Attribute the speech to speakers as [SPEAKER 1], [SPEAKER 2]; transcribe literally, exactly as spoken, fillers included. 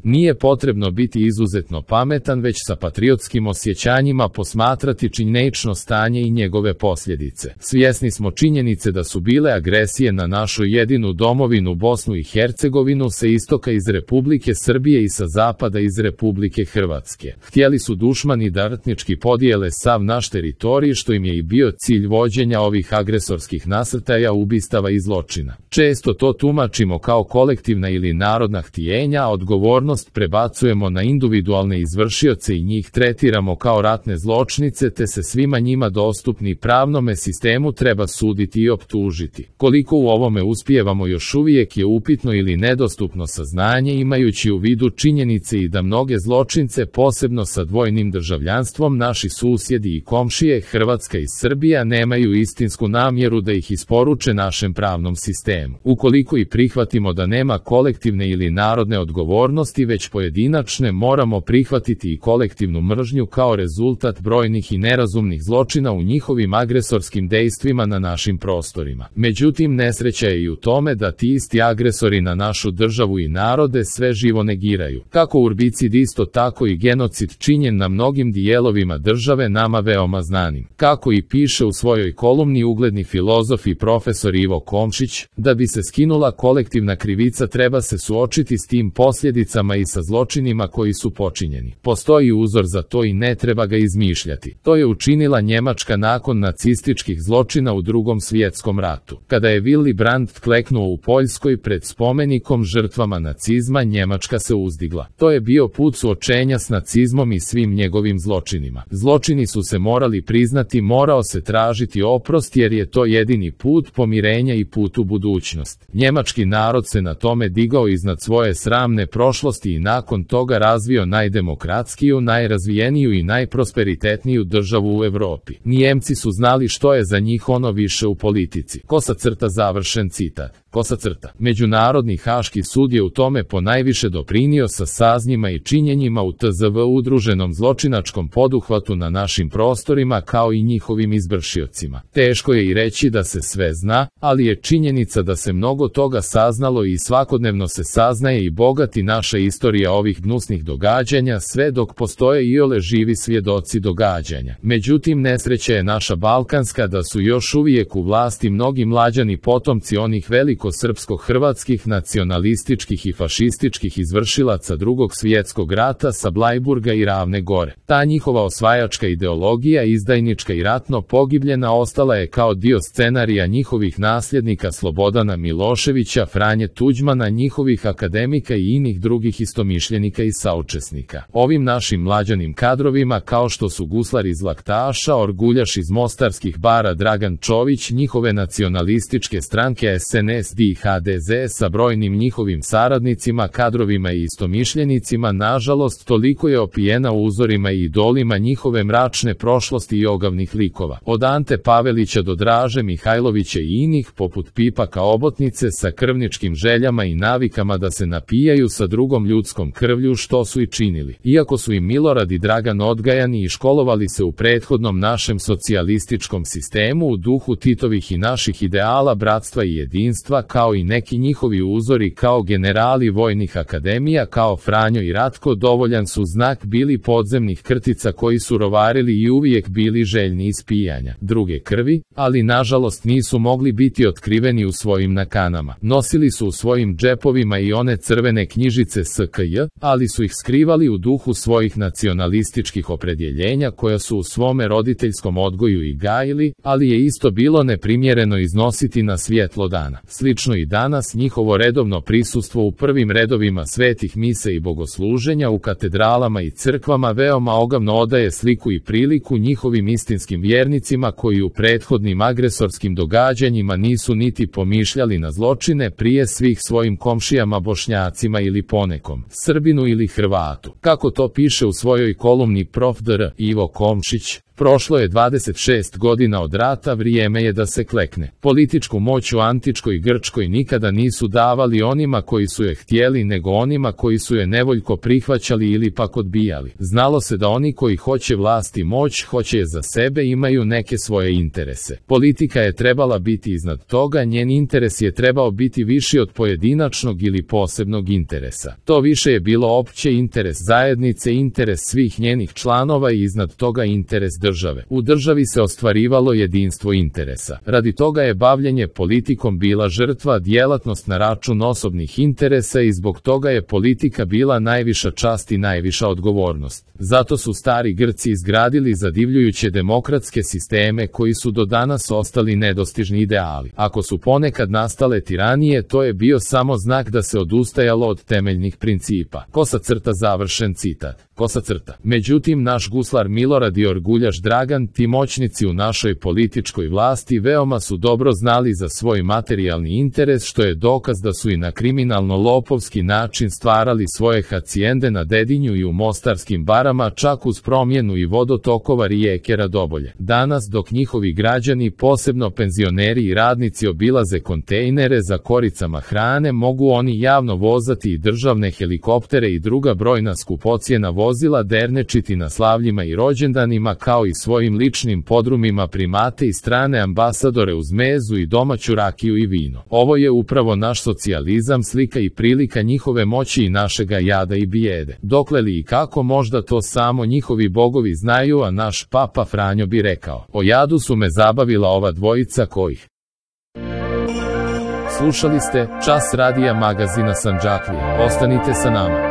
[SPEAKER 1] Nije potrebno biti izuzetno pametan, već sa patriotskim osjećanjima posmatrati činjenično stanje i njegove posljedice. Svjesni smo činjenice da su bile agresije na našu jedinu domovinu Bosnu i Hercegovinu sa istoka iz Republike Srbije i sa zapada iz Republike Hrvatske. Htjeli su dušmani da etnički podijele sav naš teritorij, što im je i bio cilj vođenja ovih agresorskih nasrtaja, ubistava i zločina. Često to tumačimo kao kolektivna ili narodna htjenja, a odgovornost prebacujemo na individualne izvršioce i njih tretiramo kao ratne zločnice, te se svima njima dostupni pravnome sistemu treba suditi i optužiti. Koliko u ovome uspijevamo još uvijek je upitno ili nedostupno saznanje, imajući u vidu činjenice i da mnoge zločince, posebno sa dvojnim državljanstvom, naši susjedi i komšije Hrvatska i Srbija nemaju istinsku namjeru da ih isporuče našem pravnom sistemu. Ukoliko i prihvatimo da nema kolektivne ili narodne odgovornosti, već pojedinačne, moramo prihvatiti i kolektivnu mržnju kao rezultat brojnih i nerazumnih zločina u njihovim agresorskim dejstvima na našim prostorima. Međutim, nesreća je i u tome da ti isti agresori na našu državu i narode sve živo negiraju. Kako urbicid, isto tako i genocid činjen na mnogim dijelovima države nama veoma znanim. Kako i piše u svojoj kolumni ugledni filozof i profesor Ivo Komšić, da bi se skinula kolektivna krivica treba se suočiti s tim posljedicama i sa zločinima koji su počinjeni. Postoji uzor za to i ne treba ga izmišljati. To je učinila Njemačka nakon nacističkih zločina u Drugom svjetskom ratu. Kada je Willy Brandt kleknuo u Poljskoj pred spomenikom žrtvama nacizma, Njemačka se uzdigla. To je bio put suočenja s nacizmom i svim njegovim zločinima. Zločini su se morali priznati, morao se tražiti oprost, jer je to jedini put pomirenja i put u budućnost. Njemački narod se na tome digao iznad svoje sramne prošlosti i nakon toga razvio najdemokratskiju, najrazvijeniju i najprosperitetniju državu u Europi. Nijemci su znali što je za njih ono više u politici. Kosa crta, završen citat. Kosa crta. Međunarodni Haški sud je u tome ponajviše doprinio sa saznjima i činjenjima u T Z V udruženom zločinačkom poduhvatu na našim prostorima kao i njihovim izvršiocima. Teško je i reći da se sve zna, ali je činjenica da se mnogo toga saznalo i svakodnevno se saznaje i bogati naša istorija ovih gnusnih događanja, sve dok postoje iole živi svjedoci događanja. Međutim, nesreća je naša balkanska da su još uvijek u vlasti mnogi mlađani potomci onih velikih srpsko-hrvatskih nacionalističkih i fašističkih izvršilaca Drugog svjetskog rata sa Blajburga i Ravne Gore. Ta njihova osvajačka ideologija, izdajnička i ratno pogibljena, ostala je kao dio scenarija njihovih nasljednika Slobodana Miloševića, Franje Tuđmana, njihovih akademika i inih drugih istomišljenika i saučesnika. Ovim našim mlađanim kadrovima, kao što su guslar iz Laktaša, orguljaš iz mostarskih bara Dragan Čović, njihove nacionalističke stranke S N S D i H D Z sa brojnim njihovim saradnicima, kadrovima i istomišljenicima, nažalost, toliko je opijena uzorima i idolima njihove mračne prošlosti i ogavnih likova. Od Ante Pavelića do Draže Mihajlovića i inih, poput Pipaka Obotnice, sa krvničkim željama i navikama da se napijaju sa drugom ljudskom krvlju, što su i činili. Iako su i Milorad i Dragan odgajani i školovali se u prethodnom našem socijalističkom sistemu u duhu Titovih i naših ideala bratstva i jedinstva, kao i neki njihovi uzori kao generali vojnih akademija kao Franjo i Ratko, dovoljan su znak bili podzemnih krtica koji su rovarili i uvijek bili željni ispijanja druge krvi, ali nažalost nisu mogli biti otkriveni u svojim nakanama. Nosili su u svojim džepovima i one crvene knjižice S K J, ali su ih skrivali u duhu svojih nacionalističkih opredjeljenja koja su u svome roditeljskom odgoju i gajili, ali je isto bilo neprimjereno iznositi na svjetlo dana. Slično i danas, njihovo redovno prisustvo u prvim redovima svetih mise i bogosluženja u katedralama i crkvama veoma ogavno odaje sliku i priliku njihovim istinskim vjernicima koji u prethodnim agresorskim događanjima nisu niti pomišljali na zločine prije svih svojim komšijama Bošnjacima ili ponekom Srbinu ili Hrvatu. Kako to piše u svojoj kolumni prof. dr. Ivo Komšić, Prošlo je dvadeset šest godina od rata, vrijeme je da se klekne. Političku moć u antičkoj Grčkoj nikada nisu davali onima koji su je htjeli, nego onima koji su je nevoljko prihvaćali ili pak odbijali. Znalo se da oni koji hoće vlast i moć, hoće je za sebe, imaju neke svoje interese. Politika je trebala biti iznad toga, njen interes je trebao biti viši od pojedinačnog ili posebnog interesa. To više je bilo opće interes zajednice, interes svih njenih članova i iznad toga interes države. U državi se ostvarivalo jedinstvo interesa. Radi toga je bavljenje politikom bila žrtva, djelatnost na račun osobnih interesa i zbog toga je politika bila najviša čast i najviša odgovornost. Zato su stari Grci izgradili zadivljujuće demokratske sisteme koji su do danas ostali nedostižni ideali. Ako su ponekad nastale tiranije, to je bio samo znak da se odustajalo od temeljnih principa. Kosa crta, završen citat. Kosa crta. Međutim, naš guslar Milorad i orguljaš Dragan, ti moćnici u našoj političkoj vlasti, veoma su dobro znali za svoj materijalni interes, što je dokaz da su i na kriminalno-lopovski način stvarali svoje hacijende na Dedinju i u mostarskim barama, čak uz promjenu i vodotokova rijeke Radobolje. Danas, dok njihovi građani, posebno penzioneri i radnici, obilaze kontejnere za koricama hrane, mogu oni javno vozati i državne helikoptere i druga brojna skupocjena vozila, dernečiti na slavljima i rođendanima, kao i svojim ličnim podrumima primate i strane ambasadore uz mezu i domaću rakiju i vino. Ovo je upravo naš socijalizam, slika i prilika njihove moći i našega jada i bijede. Dokle li i kako, možda to samo njihovi bogovi znaju, a naš papa Franjo bi rekao: o jadu su me zabavila ova dvojica kojih. Slušali ste Čas radija magazina Sandžaklije. Ostanite sa nama.